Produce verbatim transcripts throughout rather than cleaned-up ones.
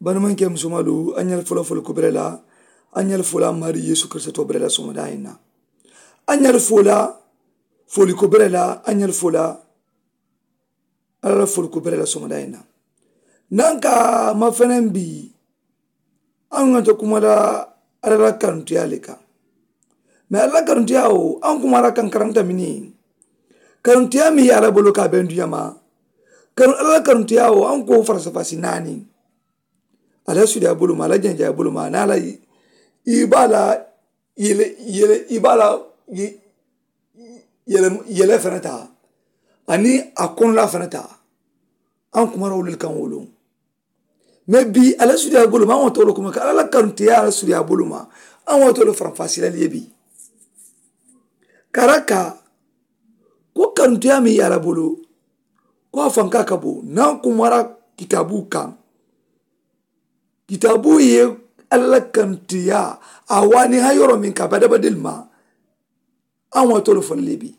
Banimankɛ musomaalu, a ɲali fo la foli ko bɛrɛ la. A ɲali fo la maari yeesu kirisito bɛrɛ la soŋo daa in na. A ɲali fo la foli ko bɛrɛ la. A ɲali fo la ala la foli ko bɛrɛ la soŋo daa in na. Nan ka ma fɛnɛ bi an ŋa to kuma la ala la kanutuya le kan. Mais ala la kanutuya o an kuma la kan karanta mini kanutuya mi ye ala bolo ka ben duyama. Kanu ala la kanutuya o an ko farasafasi naani. Ala sudiya bolo ma ala janjaya bolo ma na ala i b'a la yele yele i b'a la yele yele fana ta ani a kɔnɔla fana ta. An kuma la wuli kan wolo mais bi ala sudiya bolo ma an wa tolo kuma ka ala la kanutuya ala sudiya bolo ma an wa tolo faranfasilali ye bi. Karaka ko kanutuya mi ye ala bolo ko a fanka ka bo nan kumara kitabu kan. Kitabu ye ala la kanutuya a wani ha yɔrɔ min ka badabadeli ma. An wa tolo fo le bi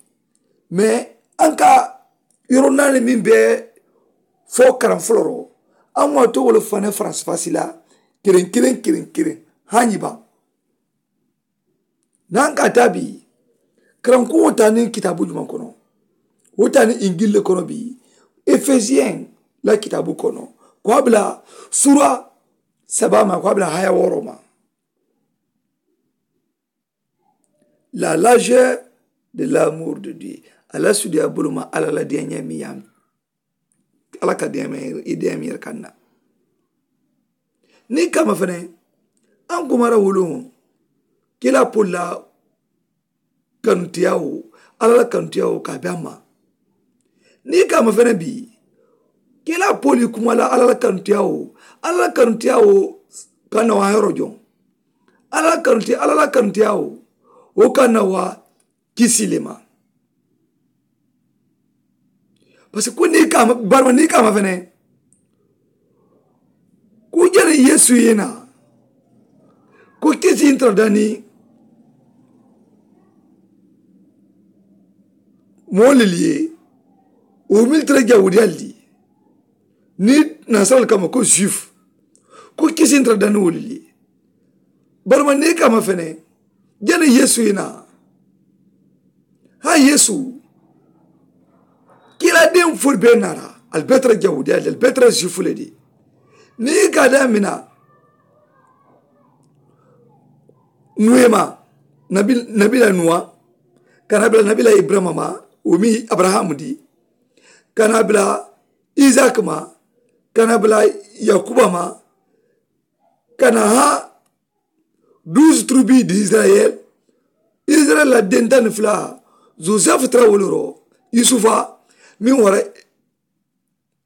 mais an ka yɔrɔ naani min bɛ fo karan fɔlɔ an wa to wolo fana faransi fasi la kelen kelen kelen kelen. Haɲi ban n'an ka taa bi karanko wo taa ni kitabu jumɛn kɔnɔ? Wo taa ni injili le kɔnɔ bi efesiyɛn la kitabu kɔnɔ ko a bila sura saba ma ko a bila haya wɔɔrɔ ma. La largeur de l'amour de Dieu. Ala sudiya bolo ma ala la diyaɲɛ mi yam ala ka diyaɲɛ i diyaɲɛ yɛrɛ kan na. Ni kama fɛnɛ an kumara wolo kila pola kanutuya o ala la kanutuya o ka bɛ a ma. Ni kama fɛnɛ bi kila poli kuma la ala la kanutuya o ala la kanutuya o ka na wa yɔrɔ jɔn? Ala la kanutuya ala la kanutuya o o ka na wa kisi le ma. Parce que ko ni kama barima ni kama fɛnɛ ko jɛni yesu ye na ko kisi in tara dani moo lelu ye o militɛrɛ jawudiyali di ni nasarali kama ko juif ko kisi in tara dani wo lelu ye. Barima ni kama fɛnɛ jɛni yesu ye na ha yesu kila den fo be nara ali be tara jawudiyali di ali be tara juif le di. Ni ka da mina nuwe ma nabila nuwa kana bila nabila ibrahima ma wo mi abrahamu di kana bila isaki ma kana bila yakuba ma kana ha duusu turubi di isirayeli isirayeli la dentani fula josefu tara wolu ro yusufa min wara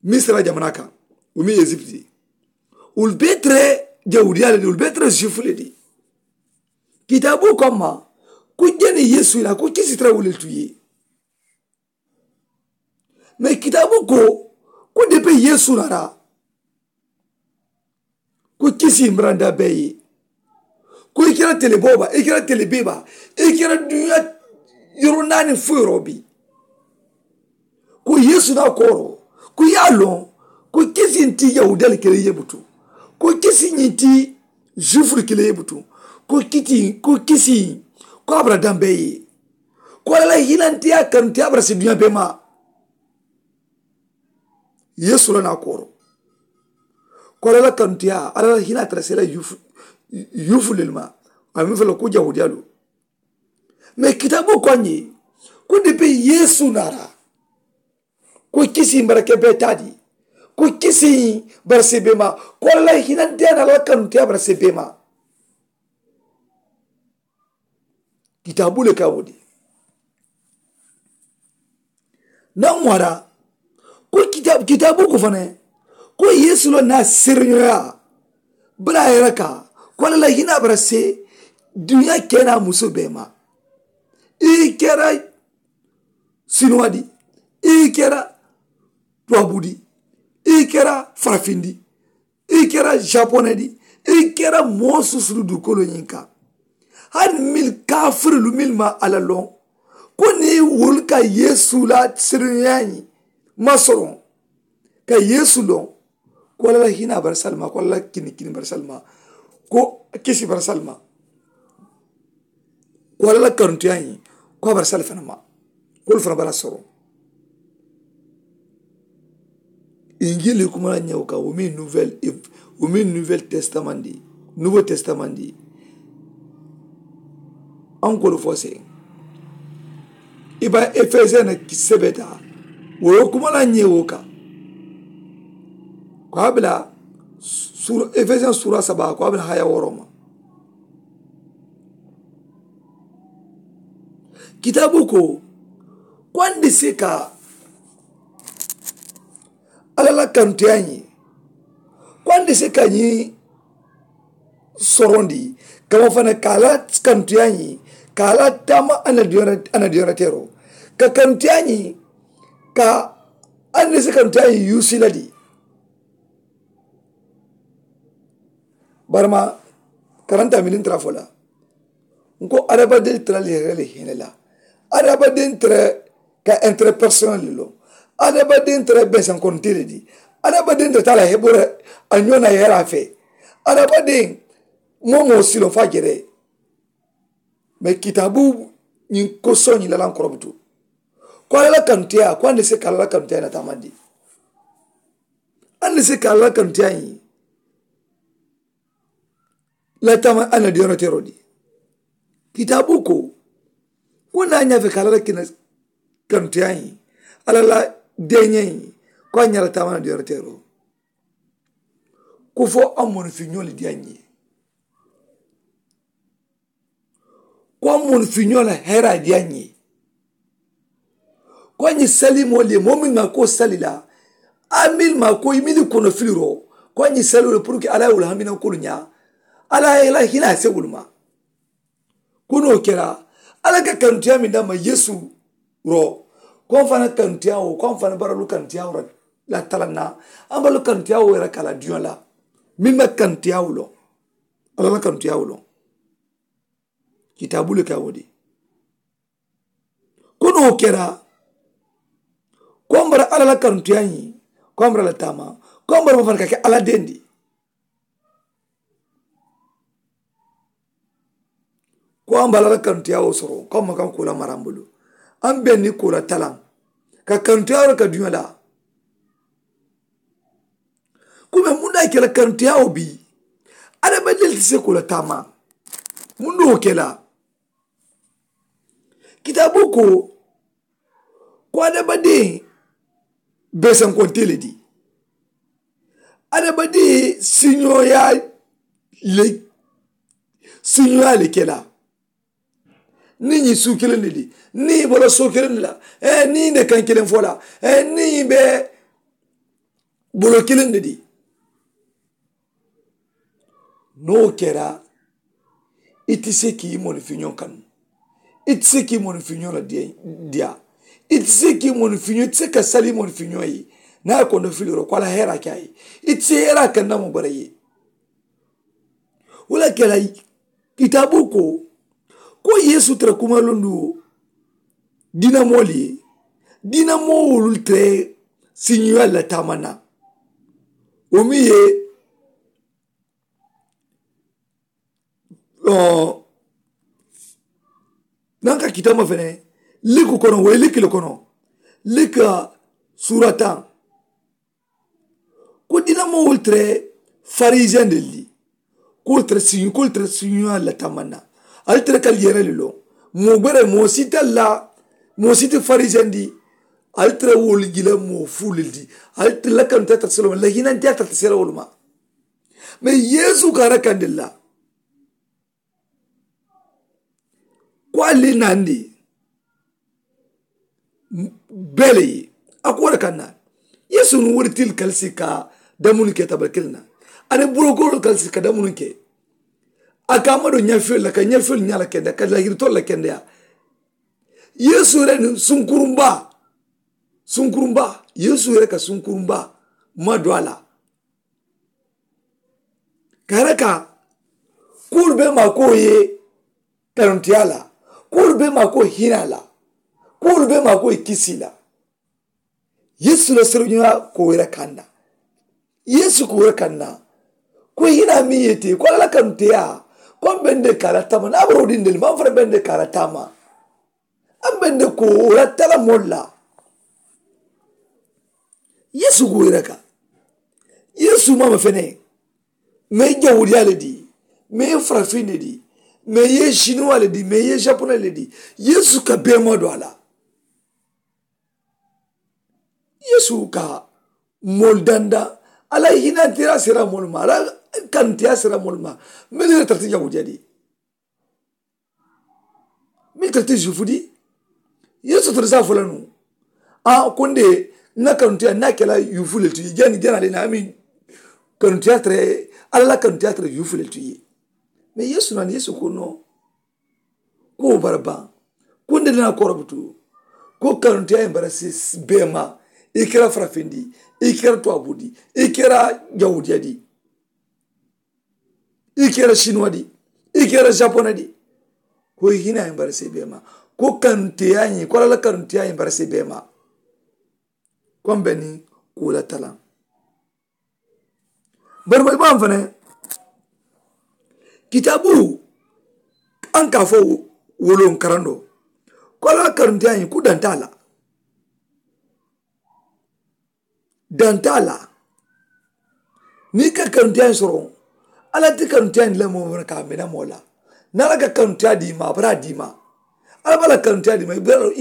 misira jamana kan wo mi ezipiti wolu be tara jawudiya le di wolu be tara juifu le di. Kitabu ko a ma ko jeni yesu ila ko kisi tara wolu le tu ye. Mais kitabu ko ko depi yesu nara ko kisi mbranda bɛɛ ye ko i kɛra telebɔba i kɛra telebeba i kɛra dunya yɔrɔ naani fo yɔrɔ bi ko yesu na kɔrɔ ko y'a lɔn ko kisi ti yahudali kele ye butu ko kisi ɲi ti juifulu kele ye butu ko kiti ko kisi ko abraham bɛɛ ye ko ala la hinantiya kanuti abraham si dunya bɛɛ ma. Yesu la na koro ko ala la kantiya ala la hina tara sela yufu yufu lelma a mi fala ko jahudiya lo. Mais kitabu ko ni ko depi yesu nara ko kisi barake be tadi ko kisi barase be ma ko ala la hina dena la kantiya barase be ma. Kitabu le ka wo di. Naŋ wara ko kitabu ko fana ko yesu lo na sereɲoya bala yɛrɛ ka ko ala la hina bara se dunya kena muso bɛɛ ma. I kɛra sinuwa di, i kɛra tubabu di, i kɛra farafin di, i kɛra japonais di, i kɛra moo susulu dukolo ɲin kan. Hani mil kafirilu mil ma ala lɔn ko ni wolu ka yesu la senuya ɲin ma sɔrɔ ka yesu lɔn. Ko alla la hinaa bara sali ma, ko alla la kini kini bara sali ma, ko kisi bara sali ma, ko alla la kanutuyaa ñiŋ, ko a bara sali fanaŋ ma, ko wolu fanaŋ bara soro. Injili kuma la ñewo kaŋ wo miŋ nouvelle, wo miŋ nouvelle testament di, nouveau testament di. Ankolu fo se i ba efesiyene sebeta wo yo kuma la ñewo kaŋ, ko a bila efesiyen sura saba ko a bila haya woro ma. Kitaabu ko, ko a ni si ka alla la kanutuyaa ñiŋ, ko a ni si ka ñiŋ sorondi, kama fana ka a la kanutuyaa ñiŋ, ka a la taama a na diyonra teeroo, ka kanutuyaa ñiŋ, ka a ni si kanutuyaa ñiŋ yuusi la di. Barima karanta miniŋ tara fo la, n ko adamadeŋ tara le yere le hene la, adamadeŋ tara ka intérêt personnel le loŋ, adamadeŋ tara besankonte le di, adamadeŋ tara taa la hebora a ñoo na yere a fe, adamadeŋ moo moo silo fo a jere. Mais kitaabu ñiŋ ko soñi la laŋ korobutu, ko alla la kanuteyaa ko a ni se ka alla la kanuteyaa na taamandi. A ni se ka alla la kanuteyaa ñiŋ la taama a na diyono teroo di. Kitaabu ko, ko naa ñaa fe ka alla la kina kanuteyaa ñiŋ, alla la deeñee ñiŋ, ko a ñaa la taama na diyono teroo. Ko fo a moni fi ñoo le diyaa ñiŋ ye. Ko a moni fi ñoo la heeraa diyaa ñiŋ ye. Ko a ñiŋ sali moolu ye moo miŋ maa ko sali la, a mili maa ko i mili kono filiroo, ko a ñiŋ sali wo le puru ke alla ye wolu haminankoolu ñaa, alla ye la hinaa se wolu ma. Ko niŋ wo kera, alla ka kanutuyaa meŋ dama yeesu ro, ko a fanaŋ kanutuyaa wo ko a fanaŋ baralu kanutuyaa wo la talaŋ na, a baralu kanutuyaa wo yere ka a la duñoo la, meŋ ma kanutuyaa wo loŋ, alla la kanutuyaa wo loŋ. Kitaabu le ka wo di. Ko niŋ wo kera, ko a bara alla la kanutuyaa ñiŋ, ko a bara la taama, ko a bara ma fanaŋ ka ke alla dendi. Ko a bara la kanutuyaa wo soro ko a ma kaŋ ko la maraŋ bulu, a be ni ko la talaŋ, ka kanutuyaa wo ka duñoo la. Ko me muŋ na a ke la kanutuyaa wo bii, adamadiŋ le ti se ko la taama. Muŋ na wo ke la? Kitaabu ko, ko adamadiŋ beesankonte le di, adamadiŋ siñooyaa le siñooyaa le ke la. Niŋ ñiŋ suu kiliŋ ne di, niŋ i bolo soo kiliŋ ne la, niŋ i ne kaŋ kiliŋ fo la, niŋ i be bolo kiliŋ ne di. Niŋ wo kera, i ti se ka i moni fiñoo kanu, i ti se ka i moni fiñoo la diyaa, i ti se ka i moni fiñoo i ti se ka sali i moni fiñoo ye. Niŋ a ye kondo filiroo ko a la heeraa ke a ye, i ti se heeraa kanu na mu bara ye. Wo le kela kitaabu ko, ko yeesu tara kumalondu diina moolu ye, diina moo wolu tara siñiwaalu la taama na. Wo miŋ ye nanka kitaama fene, liku kono wo ye liki le kono, lika suura taŋ. Ko diina moo wolu tara farisiyen de li, ko wolu tara siñi ko wolu tara siñiwaalu la taama na. Ali tara ka yere le loŋ, moo gbere moo si tara la, moo si ti farisiyen di. Ali tara wolu jila moo fuulu le di. Ali tara la kaŋ tara tara selo ma la hinantiya tara tara selo wolu ma. Mais yeesu ka a rakandi la, ko ali naandi bee le ye. A ko wo le ka naa, yeesu niŋ wori tili kalisi ka damunu ke tabali kiliŋ na, aniŋ bulokoolu kalisi ka damunu ke. A ka a ma do ñafiyolu la ka ñafiyolu ñaa la kendeya ka lahiritolu la kendeya. Yeesu yere niŋ sunkurunbaa, sunkurunbaa yeesu yere ka sunkurunbaa ma do a la. Ka a raka, kuwolu bee maakowo ye kanuntiyaa la, kuwolu bee maakowo hinaa la, kuwolu bee maakowo ye kisii la. Yeesu la senuñaa kowo ye raka a na. Yeesu ka wo le kaŋ na ko i hinaa meŋ ye te ko alla la kanuteyaa ko a mu bende ka a la taama niŋ a boroodiŋ de le maŋ fanaŋ bende ka a la taama. A mu bende ko wo la tala moolu la. Yeesu ka wo yiraka yeesu maama fene. Mee jawudiyaa le di mee farafin le di mee ye sinuwaa le di mee ye sapona le di. Yeesu ka bee moo do a la. Yeesu ka moolu dandaŋ a la hinaantiraa sera moolu ma a la kanuteyaa sera moolu ma. Mennu ye tara ti jawudiyaa di mennu tara ti zuufu di. Yeesu tara saa fo la nuŋ a ko n de n na kanuteyaa n na kela yuufu le ti jani jana le na amin. Kanuteyaa tara alla la kanuteyaa tara yuufu le ti ye. Mee yeesu naani yeesu ko noo ko wo bara baŋ ko n de dina korobutu ko kanuteyaa ye bara si beema. I kera farafindi i kera tuwabundi i kera jawudiyadi i kera sinuwadi i kera sapona di. Ko i hinaa ye bara si beema ko kanuteyaa ye ko alla la kanuteyaa ye bara si beema. Ko n be ni ko la talaŋ bari bari baŋ fanaŋ kitaabu aŋ ka a fo woloŋ karandoo ko alla la kanuteyaa ñiŋ ku dantaa la. Dantaa la niŋ i ka kanuteyaa ñiŋ soroŋ alla ti kanuteyaa ñiŋ la moo fanaŋ ka a mena moo la. Niŋ alla ka kanuteyaa dii ma a bara a dii ma alla be a la kanuteyaa dii ma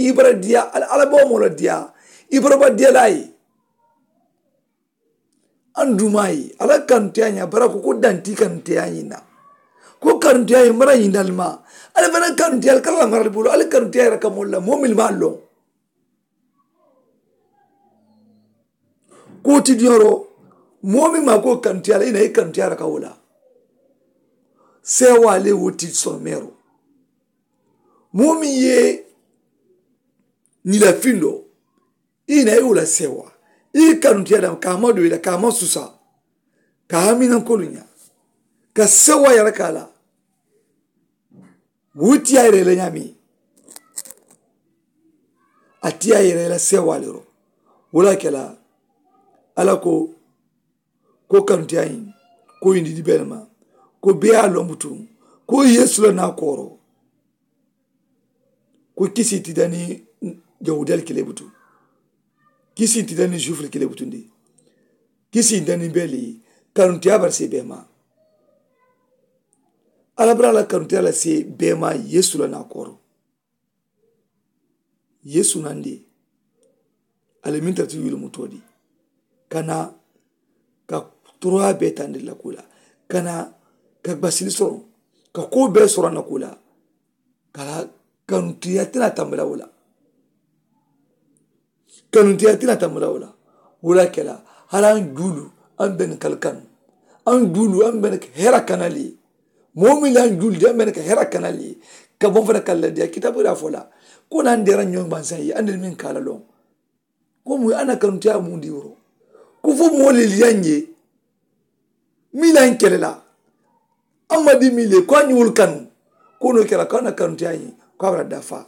i bara diyaa alla be wo moo la diyaa. I bara ba diyalaa ye aŋ dumaa ye alla kanuteyaa ñiŋ a bara ko ko danti kanuteyaa ñiŋ na. Ko kanuteyaa ñiŋ mara ñiŋ dali ma alla fanaŋ kanuteyaa alla kala la marali bulu alla kanuteyaa yere ka moolu la moo mili maa loŋ. Ko ti diyoroo moo miŋ maa ko kanuteyaa la i na i kanuteyaa yere ka wo la. Seewaa le wo ti someeroo moo miŋ ye ñila findoo i na i wo la sewa i kanuteya dama ka ma do i la ka ma susa ka haminanko lu ña ka sewa yara ka la. Wutiya yere la ñami atiya yere la sewa lero wala kela ala ko ko kanuteya ñiŋ ko yindi di bele ma ko beya lombutu ko yesu la na koro. Ko kisi ti dani jawudiyal kile butu kisi ti dani jufil kile butundi kisi dani beli kanuteya barse bema. Alabara la kanuteya la se bema yesu la na koro. Yesu nandi ali min tara ti yulumutoo di kana ka toroyaa bee tandiri la kuu la kana ka basili soroŋ ka koo bee soroŋ na kuu la. Kala kanutuyaa ti naa tambula wo la. Kanutuyaa ti naa tambula wo la. Wo la kela hala an juulu an beni kali kanu an juulu an beni hera kanali. Moo miŋ le an juulu di an beni ka hera kanali ka boŋ fana kali la diya kitaabu daa fo la. Ko na an dera ñoŋ bansaŋ ye an deni miŋ kala loŋ. Ko mu ye a na kanuteyaa mundi woro ko fo moo le liyaŋ ye. Miŋ la n kele la a ma di miŋ le ko a ñiwolu kanu ko no kela ko a na kanuteyaa ñiŋ ko a bara dafa.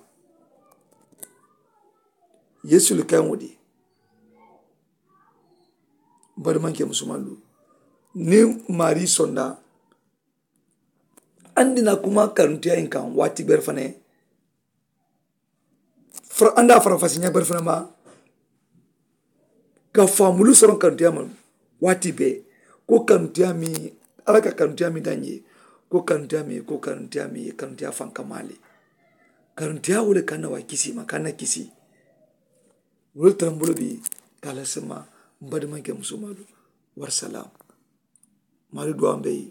Yesu le kaŋ wo di bari maŋ ke musumaŋ lu niŋ maarii sonda. Andi na kuma kanuteyaa ñiŋ kaŋ waati bere fanaŋ. Anda a fara fasi ñaŋ bari fanaŋ ma ka faamulu soroŋ kanuteyaa ma waati bee. Ko kanuteyaa mi alla ka kanuteyaa mi daŋ ye ko kanuteyaa mi ko kanuteyaa mi kanuteyaa faŋ ka maa le. Kanuteyaa wo le ka na wa kisi ma ka na kisi. Wo le tara n bulu bi ka a la sema n badimanke musumalu. Warisalaamu. Maari duwaa mbe yi.